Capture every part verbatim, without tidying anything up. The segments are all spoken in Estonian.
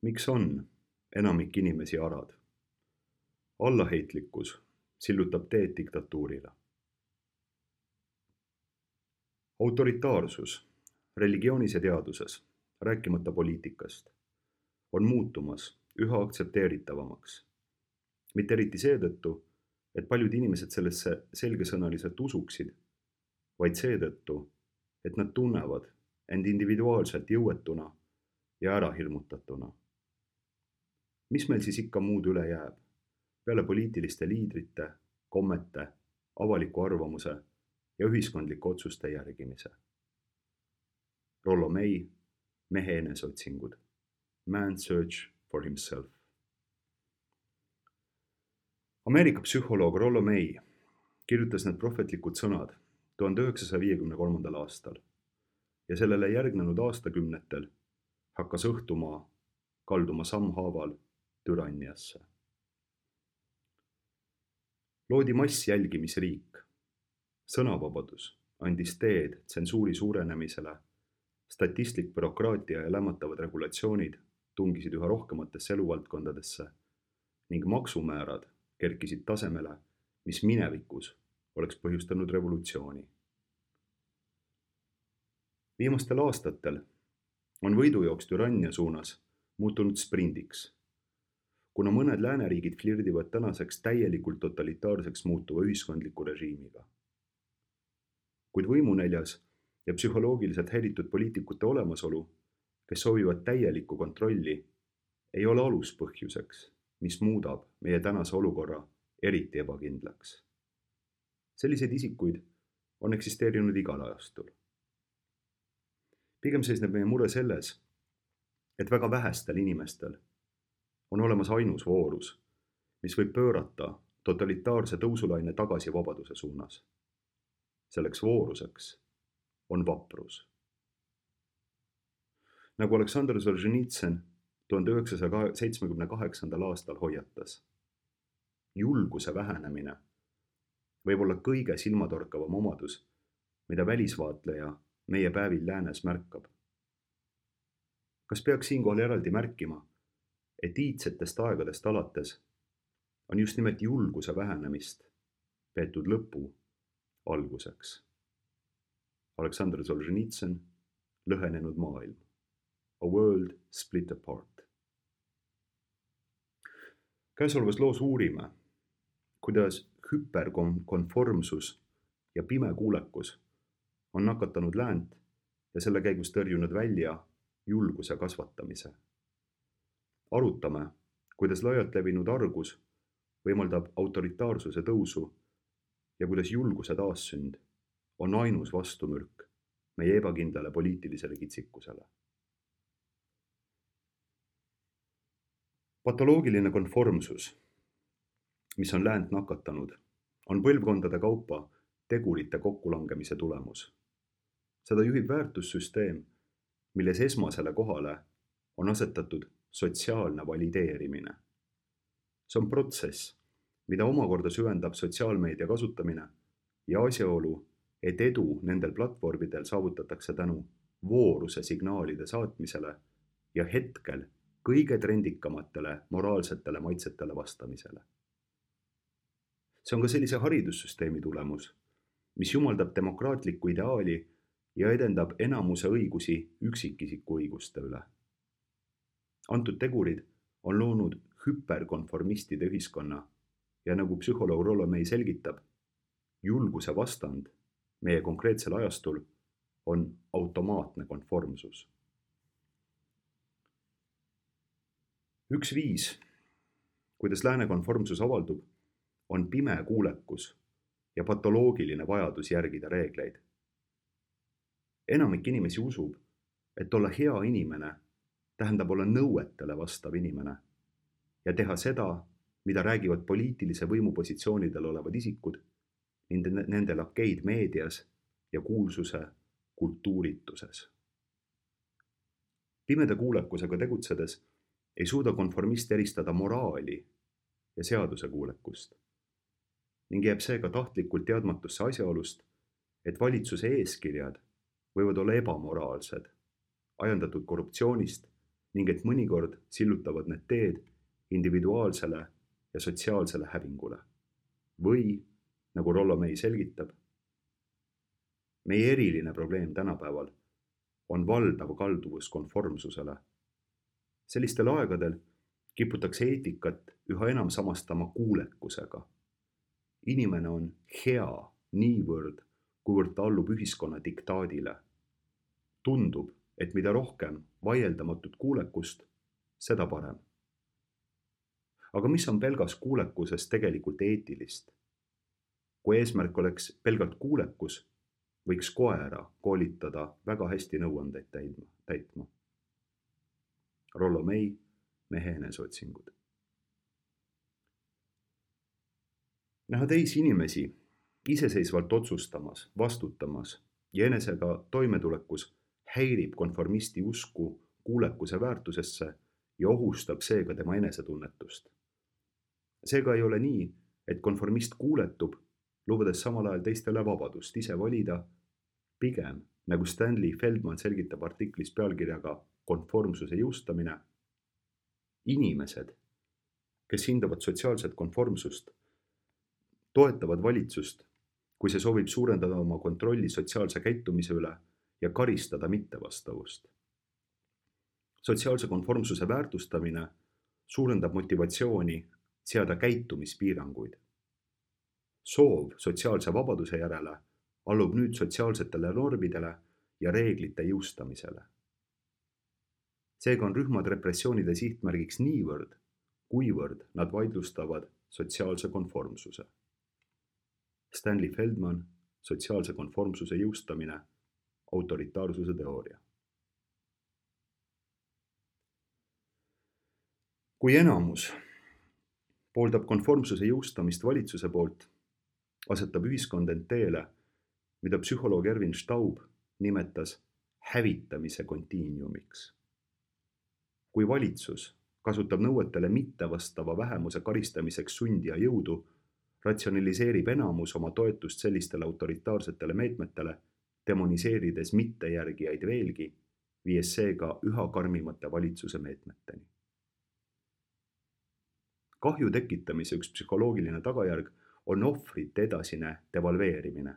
Miks on enamik inimesi arad? Allaheitlikkus sillutab teed diktatuurile. Autoritaarsus religioonis ja teaduses, rääkimata poliitikast, on muutumas üha aktsepteeritavamaks. Mitte eriti seetõttu, et paljud inimesed sellesse selgesõnaliselt usuksid, vaid seetõttu, et nad tunnevad end individuaalselt jõuetuna ja ärahirmutatuna. Mis meil siis ikka muud üle jääb, peale poliitiliste liidrite, kommete, avaliku arvamuse ja ühiskondliku otsuste järgimise? Rollo May, Mehe eneseotsingud. Man's search for himself. Ameerika psühholoog Rollo May kirjutas need prohvetlikud sõnad tuhande üheksasaja viiekümne kolmandal aastal ja sellele järgnenud aastakümnetel hakkas õhtumaa kalduma sammhaaval türanniasse. Loodi massjälgimisriik. Sõnavabadus andis teed tsensuuri suurenemisele, statistlik bürokraatia ja lämmatavad regulatsioonid tungisid üha rohkematesse eluvaldkondadesse ning maksumäärad kerkisid tasemele, mis minevikus oleks põhjustanud revolutsiooni. Viimastel aastatel on võidujooks türannia suunas muutunud sprindiks, kuna mõned lääneriigid flirdivad tänaseks täielikult totalitaarseks muutuva ühiskondliku režiimiga. Kuid võimunäljas ja psühholoogiliselt häiritud poliitikute olemasolu, kes soovivad täielikku kontrolli, ei ole aluspõhjuseks, mis muudab meie tänase olukorra eriti ebakindlaks. Selliseid isikuid on eksisteerinud igal ajastul. Pigem seisneb meie mure selles, et väga vähestel inimestel on olemas ainus voorus, mis võib pöörata totalitaarse tõusulaine tagasi vabaduse suunas. Selleks vooruseks on vaprus. Nagu Aleksandr Solženitsõn tuhande üheksasaja seitsmekümne kaheksandal aastal hoiatas, julguse vähenemine võib olla kõige silmatorkavam omadus, mida välisvaatleja meie päevil läänes märkab. Kas peaks siinkohal eraldi märkima, et iidsetest aegadest alates on just nimelt julguse vähenemist peetud lõpu alguseks? Aleksandr Solženitsõn, Lõhenenud maailm. A world split apart. Käesolevas loos uurime, kuidas hüperkonformsus ja pime kuulekus on nakatanud läänt ja selle käigus tõrjunud välja julguse kasvatamise. Arutame, kuidas laialt levinud argus võimaldab autoritaarsuse tõusu ja kuidas julguse taassünd on ainus vastumürk meie ebakindlale poliitilisele kitsikusele. Patoloogiline konformsus, mis on läänt nakatanud, on põlvkondade kaupa tegurite kokkulangemise tulemus. Seda juhib väärtussüsteem, milles esmasele kohale on asetatud sotsiaalne valideerimine. See on protsess, mida omakorda süvendab sotsiaalmeedia kasutamine ja asjaolu, et edu nendel platvormidel saavutatakse tänu vooruse signaalide saatmisele ja hetkel kõige trendikamatele moraalsetele maitsetele vastamisele. See on ka sellise haridussüsteemi tulemus, mis jumaldab demokraatlikku ideaali ja edendab enamuse õigusi üksikisiku õiguste üle. Antud tegurid on loonud hüperkonformistide ühiskonna ja nagu psühholoog Rollo May selgitab, julguse vastand meie konkreetsel ajastul on automaatne konformsus. Üks viis, kuidas lääne konformsus avaldub, on pime kuulekus ja patoloogiline vajadus järgida reegleid. Enamik inimesi usub, et olla hea inimene tähendab olla nõuetele vastav inimene ja teha seda, mida räägivad poliitilise võimupositsioonidel olevad isikud, nende lakeid meedias ja kuulsuse kultuurituses. Pimeda kuulekusega tegutsedes ei suuda konformist eristada moraali ja seaduse kuulekust ning jääb seega tahtlikult teadmatusse asjaolust, et valitsuse eeskirjad võivad olla ebamoraalsed, ajendatud korruptsioonist ning et mõnikord sillutavad need teed individuaalsele ja sotsiaalsele hävingule. Või, nagu Rollo May selgitab, meie eriline probleem tänapäeval on valdav kalduvus konformsusele. Sellistel aegadel kiputakse eetikat üha enam samastama kuulekusega. Inimene on hea niivõrd, kuivõrd ta allub ühiskonna diktaadile. Tundub, et mida rohkem vaieldamatut kuulekust, seda parem. Aga mis on pelgas kuulekuses tegelikult eetilist? Kui eesmärk oleks pelgalt kuulekus, võiks koera koolitada väga hästi nõuandeid täitma. Rollo May, Mehe eneseotsingud. Näha teisi inimesi iseseisvalt otsustamas, vastutamas ja enesega toimetulekus häirib konformisti usku kuulekuse väärtusesse ja ohustab seega tema enesetunnetust. Seega ei ole nii, et konformist kuuletub, lubades samal ajal teistele vabadust ise valida, pigem, nagu Stanley Feldman selgitab artiklis pealkirjaga Konformsuse jõustamine, inimesed, kes hindavad sotsiaalset konformsust, toetavad valitsust, kui see soovib suurendada oma kontrolli sotsiaalse käitumise üle ja karistada mittevastavust. Sotsiaalse konformsuse väärtustamine suurendab motivatsiooni seada käitumispiiranguid. Soov sotsiaalse vabaduse järele allub nüüd sotsiaalsetele normidele ja reeglite jõustamisele. Seega on rühmad repressioonide sihtmärgiks niivõrd, kuivõrd nad vaidlustavad sotsiaalse konformsuse. Stanley Feldman, sotsiaalse konformsuse jõustamine, autoritaarsuse teooria. Kui enamus pooldab konformsuse jõustamist valitsuse poolt, asetab ühiskond end teele, mida psühholoog Erwin Staub nimetas hävitamise kontiiniumiks. Kui valitsus kasutab nõuetele mittevastava vähemuse karistamiseks sundi ja jõudu, ratsionaliseerib enamus oma toetust sellistele autoritaarsetele meetmetele, demoniseerides mittejärgijaid veelgi, viies seega üha karmimate valitsuse meetmeteni. Kahju tekitamise üks psühholoogiline tagajärg on ohvrite edasine devalveerimine.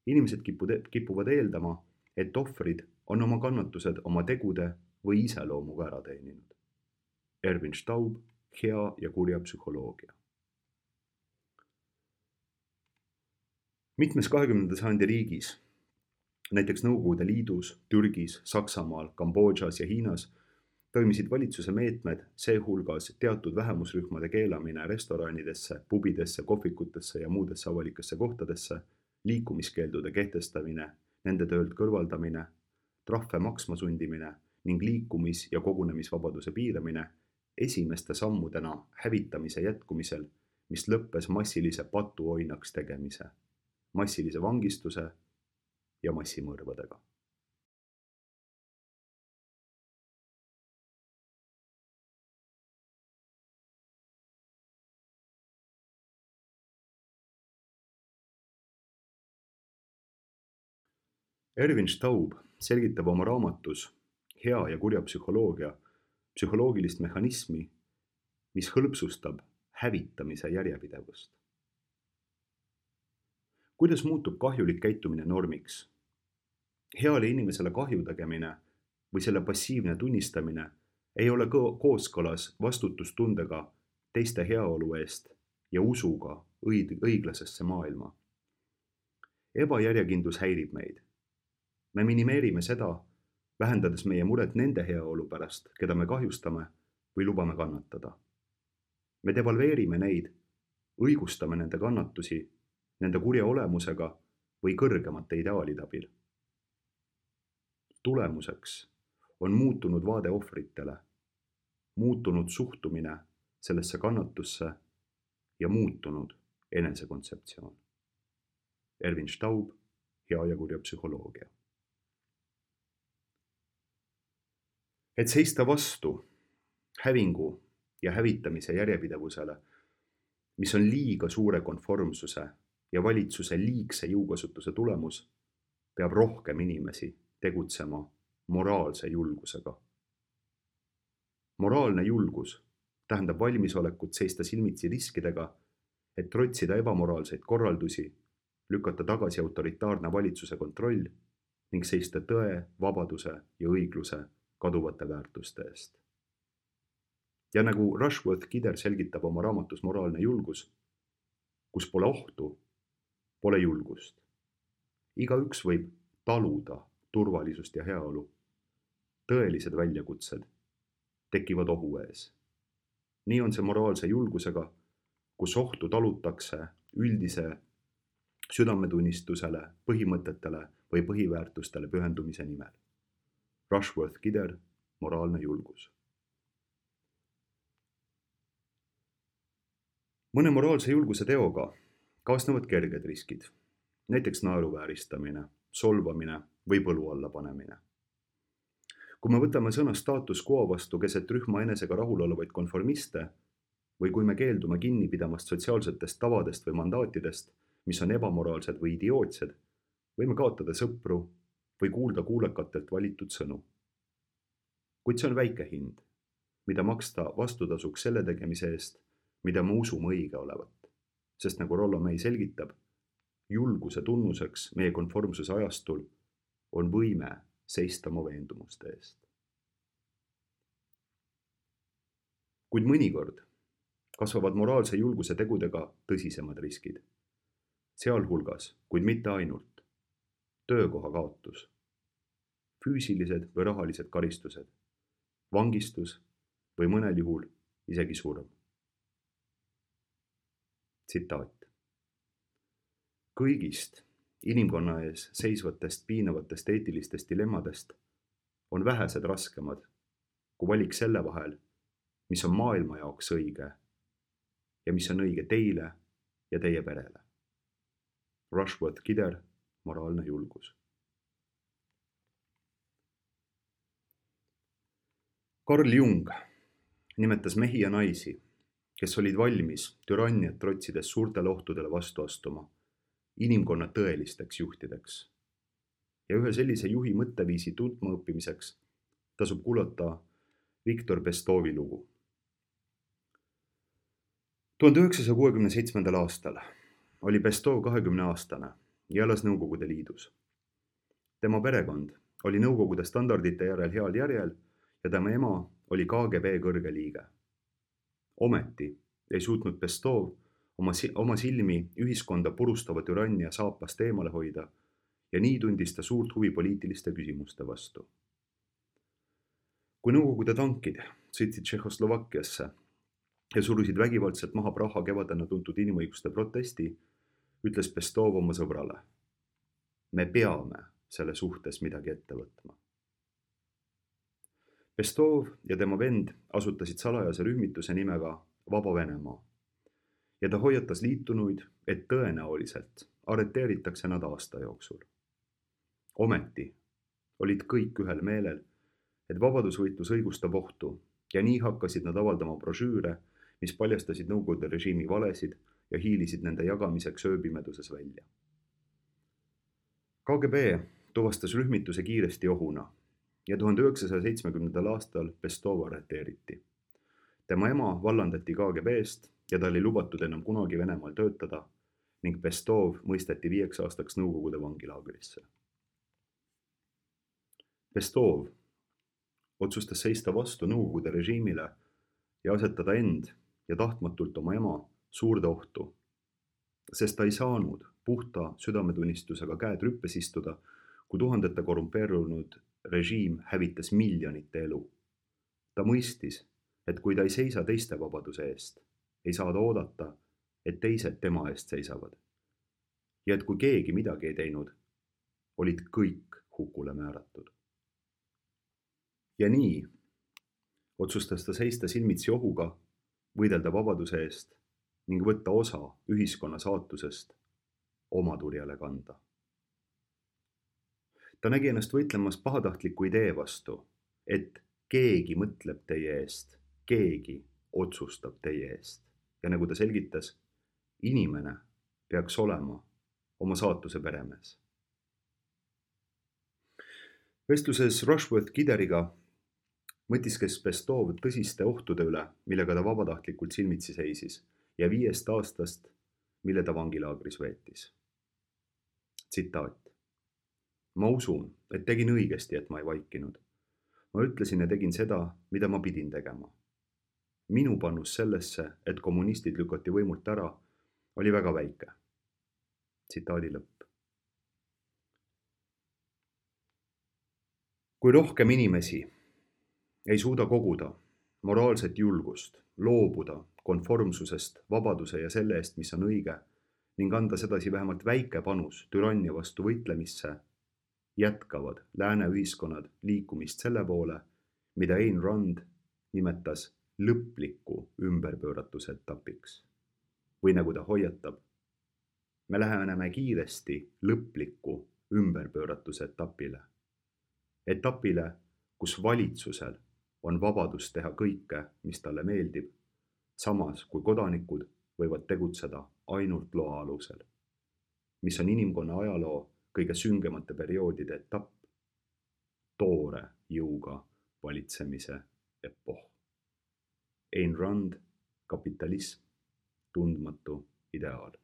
Inimesed kipuvad eeldama, et ohvrid on oma kannatused oma tegude või iseloomuga ära teeninud. Erwin Staub, Hea ja kurja psühholoogia. Mitmes kahekümnenda sajandi riigis, näiteks Nõukogude Liidus, Türgis, Saksamaal, Kambodžas ja Hiinas, toimisid valitsuse meetmed, seehulgas teatud vähemusrühmade keelamine restoranidesse, pubidesse, kohvikutesse ja muudesse avalikesse kohtadesse, liikumiskeeldude kehtestamine, nende töölt kõrvaldamine, trahve maksma sundimine ning liikumis- ja kogunemisvabaduse piiramine esimeste sammudena hävitamise jätkumisel, mis lõppes massilise patuoinaks tegemise, massilise vangistuse ja massimõrvadega. Erwin Staub selgitab oma raamatus Hea ja kurja psühholoogia psühholoogilist mehhanismi, mis hõlpsustab hävitamise järjepidevust. Kuidas muutub kahjulik käitumine normiks? Heale inimesele kahju tegemine või selle passiivne tunnistamine ei ole kooskõlas vastutustundega teiste heaolu eest ja usuga õig- õiglasesse maailma. Ebajärjekindlus häirib meid. Me minimeerime seda, vähendades meie muret nende heaolu pärast, keda me kahjustame või lubame kannatada. Me devalveerime neid, õigustame nende kannatusi, nende kurja olemusega või kõrgemate ideaalide abil. Tulemuseks on muutunud vaade ohvritele, muutunud suhtumine sellesse kannatusse ja muutunud enesekontseptsioon. Erwin Staub, Hea ja kurja psühholoogia. Et seista vastu hävingu ja hävitamise järjepidevusele, mis on liiga suure konformsuse ja valitsuse liigse jõukasutuse tulemus, peab rohkem inimesi tegutsema moraalse julgusega. moraalne julgus tähendab valmisolekut seista silmitsi riskidega, et trotsida ebamoraalseid korraldusi, lükata tagasi autoritaarne valitsuse kontroll ning seista tõe, vabaduse ja õigluse kaduvate väärtuste eest. Ja nagu Rushworth Kidder selgitab oma raamatus Moraalne julgus, kus pole ohtu, pole julgust. Igaüks võib taluda turvalisust ja heaolu. Tõelised väljakutsed tekivad ohu ees. Nii on see moraalse julgusega, kus ohtu talutakse üldise südametunnistusele, põhimõtetele või põhiväärtustele pühendumise nimel. Rushworth Kidder, Moraalne julgus. Mõne moraalse julguse teoga kaasnevad kerged riskid, näiteks naeruvääristamine, solvamine või põlu alla panemine. Kui me võtame sõna status quo vastu keset rühma enesega rahul olevaid konformiste või kui me keeldume kinni pidamast sotsiaalsetest tavadest või mandaatidest, mis on ebamoraalsed või idiootsed, võime kaotada sõpru või kuulda kuulekatelt valitud sõnu. Kuid see on väike hind, mida maksta vastutasuks selle tegemise eest, mida me usume õige olevat, sest nagu Rollo May selgitab, julguse tunnuseks meie konformsuse ajastul on võime seista oma veendumuste eest. Kuid mõnikord kasvavad moraalse julguse tegudega tõsisemad riskid, sealhulgas, kuid mitte ainult, töökoha kaotus, füüsilised või rahalised karistused, vangistus või mõnel juhul isegi surm. Tsitaat. Kõigist inimkonna ees seisvatest piinavatest eetilistest dilemmadest on vähesed raskemad kui valik selle vahel, mis on maailma jaoks õige ja mis on õige teile ja teie perele. Rushworth Kidder, Moraalne julgus. Carl Jung nimetas mehi ja naisi, kes olid valmis türanniat trotsides suurtele ohtudele vastu astuma, inimkonna tõelisteks juhtideks. Ja ühe sellise juhi mõtteviisi tundma õppimiseks tasub kuulata Victor Pestovi lugu. tuhande üheksasaja kuuekümne seitsmendal aastal oli Pestov kahekümne aastane ja elas Nõukogude Liidus. Tema perekond oli Nõukogude standardite järel heal järjel ja tema ema oli K G B kõrge liige. Ometi ei suutnud Pestov oma, oma silmi ühiskonda purustava türannia saapast eemale hoida ja nii tundis ta suurt huvi poliitiliste küsimuste vastu. Kui Nõukogude tankid sõitsid Tšehhoslovakkiasse ja surusid vägivaldselt maha Praha kevadena tuntud inimõiguste protesti, ütles Pestov oma sõbrale: me peame selle suhtes midagi ette võtma. Pestov ja tema vend asutasid salajase rühmituse nimega Vaba Venemaa ja ta hoiatas liitunuid, et tõenäoliselt arreteeritakse nad aasta jooksul. Ometi olid kõik ühel meelel, et vabadusvõitlus õigustab ohtu ja nii hakkasid nad avaldama brošüüre, mis paljastasid Nõukogude režiimi valesid ja hiilisid nende jagamiseks ööpimeduses välja. K G B tuvastas rühmituse kiiresti ohuna ja tuhande üheksasaja seitsmekümnendal aastal Pestov arreteeriti. Tema ema vallandati K G B-st ja tal ei lubatud enam kunagi Venemaal töötada ning Pestov mõisteti viieks aastaks Nõukogude vangilaagrisse. Pestov otsustas seista vastu Nõukogude režiimile ja asetada end ja tahtmatult oma ema suurde ohtu, sest ta ei saanud puhta südametunnistusega käed rüppes istuda, kui tuhandete korrumpeerunud režiim hävitas miljonite elu. Ta mõistis, et kui ta ei seisa teiste vabaduse eest, ei saa ta oodata, et teised tema eest seisavad. Ja et kui keegi midagi ei teinud, olid kõik hukule määratud. Ja nii otsustas ta seista silmitsi ohuga, võidelda vabaduse eest ning võtta osa ühiskonna saatusest oma turjale kanda. Ta nägi ennast võitlemas pahatahtliku idee vastu, et keegi mõtleb teie eest, keegi otsustab teie eest. Ja nagu ta selgitas, inimene peaks olema oma saatuse peremees. Vestluses Rushworth Kidderiga mõtiskles Bestov tõsiste ohtude üle, millega ta vabatahtlikult silmitsi seisis ja viiest aastast, mille ta vangilaagris veetis. Tsitaat. Ma usun, et tegin õigesti, et ma ei vaikinud. Ma ütlesin ja tegin seda, mida ma pidin tegema. Minu panus sellesse, et kommunistid lükati võimult ära, oli väga väike. Tsitaadi lõpp. Kui rohkem inimesi ei suuda koguda moraalset julgust, loobuda konformsusest, vabaduse ja selle eest, mis on õige, ning anda sedasi vähemalt väike panus türannia vastu võitlemisse, jätkavad lääne ühiskonnad liikumist selle poole, mida Ayn Rand nimetas lõpliku ümberpööratuse etapiks. Või nagu ta hoiatab, me läheneme kiiresti lõpliku ümberpööratuse etapile. Etapile, kus valitsusel on vabadus teha kõike, mis talle meeldib, samas kui kodanikud võivad tegutseda ainult loa alusel, mis on inimkonna ajaloo kõige süngemate perioodide etapp, toore jõuga valitsemise epoh. Ayn Rand, Kapitalism, tundmatu ideaal.